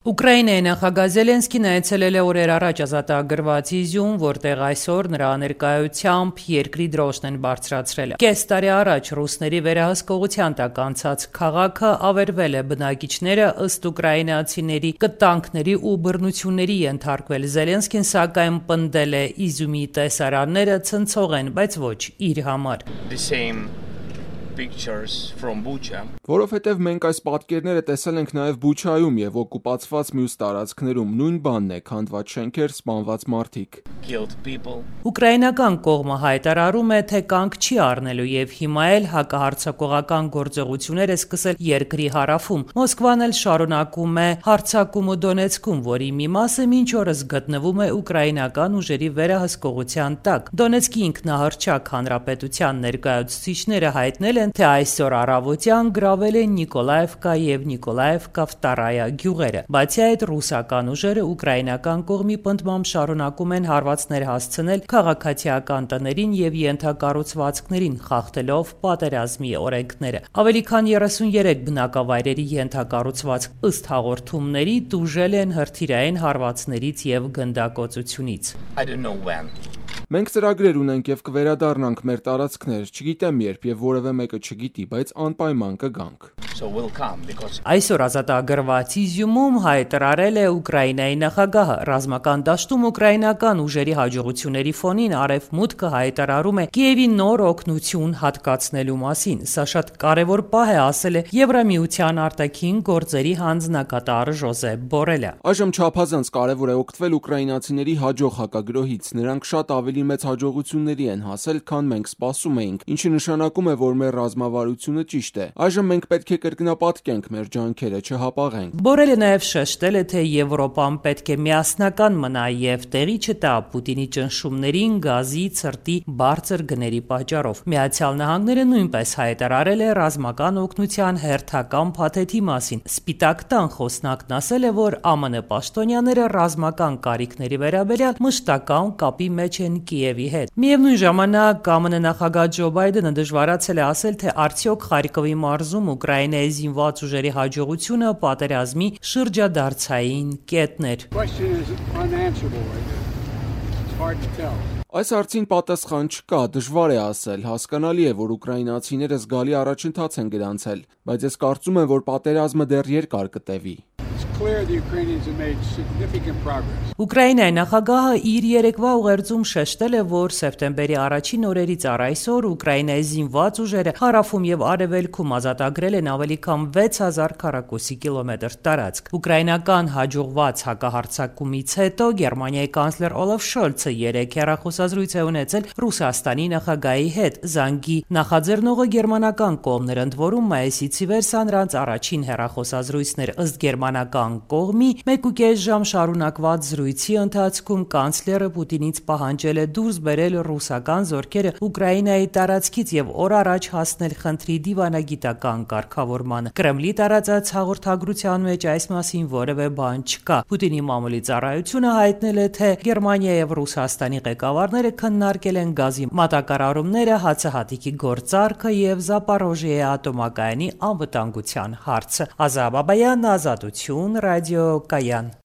Ուկրաինայի նախագահ Զելենսկին այցելել է օրեր առաջ ազատագրված Իզյում, որտեղ այսօր նրա ներկայությամբ երկրի դրոշն են բարձրացրել։ Կես տարի առաջ ռուսների վերահսկողության տակ անցած քաղաքը ավերվել է, բնակիչները ըստ ուկրաինացիների կտանքների ու բռնությունների ենթարկվել։ Զելենսկին սակայն պնդել է Իզյումի տեսարանները ցնցող են, բայց ոչ իր համար։ Որովհետև մենք այս պատկերները տեսել ենք նաև Բուչայում եւ օկուպացված մյուս տարածքներում, նույն բանն է՝ քանդված շենքեր, սպանված մարդիկ։ Ուկրաինական կողմը հայտարարում է, թե կանգ չի առնելու եւ հիմա էլ հակահարձակողական գործողություններ է սկսել երկրի հարավում։ Մոսկվան էլ շարունակում է հարձակումը Դոնեցկում, որի մի մասը մինչ օրս գտնվում է ուկրաինական ուժերի վերահսկողության տակ։ Դոնեցկի ինքնահռչակ հանրապետության ներկայացուցիչները հայտնել են, թե այսօր առավոտյան գրավել են Նիկոլաևկա եւ Նիկոլաևկա Վտարայա գյուղերը։ Բացի այդ, ռուսական ուժերը ուկրաինական կողմի պնդմամբ շարունակում են հարվածներ հասցնել քաղաքացիական տներին եւ ենթակառուցվածքներին, խախտելով պատերազմի օրենքները։ Ավելի քան 33 բնակավայրերի ենթակառուցվածք ըստ հաղորդումների տուժել են հրթիռային հարվածներից եւ գնդակոծությունից։ Մենք ծրագրեր ունենք եւ կվերադառնանք մեր տարածքներ, չգիտեմ երբ եւ որևէ մեկը չգիտի, բայց անպայման կգանք։ Այսօր ազատագրված Իզյումում հայտարարել է Ուկրաինայի նախագահը։ Ռազմական դաշտում ուկրաինական ուժերի հաջողությունների ֆոնին Արևմուտքը հայտարարում է Կիևի նոր օգնություն հատկացնելու մասին։ Սա շատ կարևոր պահ է, ասել է Եվրամիության արտաքին գործերի հանձնակատար Ժոզեփ Բորելը։ Այժմ չափազանց կարևոր է օգտվել ուկրաինացիների հաջող հակագրոհից։ Նրանք շատ ավելի մեծ հաջողությունների են հասել, քան մենք սպասում էինք, ինչը նշանակում է, որ մեր ռազմավարությունը ճիշտ է։ Այժմ մենք պետք է կրկնապատկենք մեր ջանքերը, չհապաղենք։ Բորելը նաև շեշտել է, թե Եվրոպան պետք է միասնական մնա եւ տեղի չտա Պուտինի ճնշումներին գազի, ցրտի բարձր գների պատճառով։ Միացյալ Նահանգները նույնպես հայտարարել է ռազմական օգնության հերթական փաթեթի մասին։ Սպիտակ տան խոսնակն ասել է, որ ԱՄՆ պաշտոնյաները ռազմական կարիքների վերաբերյալ մշտական կապի մեջ են Կիևի հետ։ Միևնույն ժամանակ ԱՄՆ նախագահ Ջո Բայդենը դժվարացել է ասել, թե արդյոք Խարկովի մարզում Ուկրաինայի զինված ուժերի հաջողությունը պատերազմի շրջադարձային կետն էր։ Այս հարցին պատասխան չկա, դժվար է ասել։ Հասկանալի է, որ ուկրաինացիները զգալի առաջընթաց են գրանցել, բայց ես կարծում եմ, որ պատերազմը դեռ երկար կտևի։ Ուկրաինայի նախագահը իր երեկվա ուղերձում շեշտել է, որ սեպտեմբերի առաջին օրերից առ այսօր Ուկրաինայի զինված ուժերը հարավում եւ արևելքում ազատագրել են ավելի քան 6000 քառակուսի կիլոմետր տարածք։ Ուկրաինական հաջողված հակահարձակումից հետո Գերմանիայի կանցլեր Օլաֆ Շոլցը երեք հեռախոսազրույց է ունեցել Ռուսաստանի նախագահի հետ։ Զանգի նախաձեռնողը գերմանական կողմն էր, ընդ որում մայիսից ի վեր սա նրանց առաջին հեռախոսազրույցն էր։ Ըստ գերմանական կողմի 1.5 ժամ շարունակված զրույցի ընթացքում կանցլերը Պուտինից պահանջել է դուրս բերել ռուսական զորքերը Ուկրաինայի տարածքից եւ օր առաջ հասնել խնդրի դիվանագիտական կարգավորմանը։ Կրեմլի տարածած հաղորդագրության մեջ այս մասին որևէ բան չկա։ Պուտինի մամուլի ծառայությունը հայտնել է, թե Գերմանիա եւ Ռուսաստանի ղեկավարները քննարկել են գազի մատակարարումները, հացահատիկի գործարքը եւ Զապորոժիեի ատոմակայանի անվտանգության հարցը։ Ազատ Բաբայան, Ազատություն, ռադիո Կայան։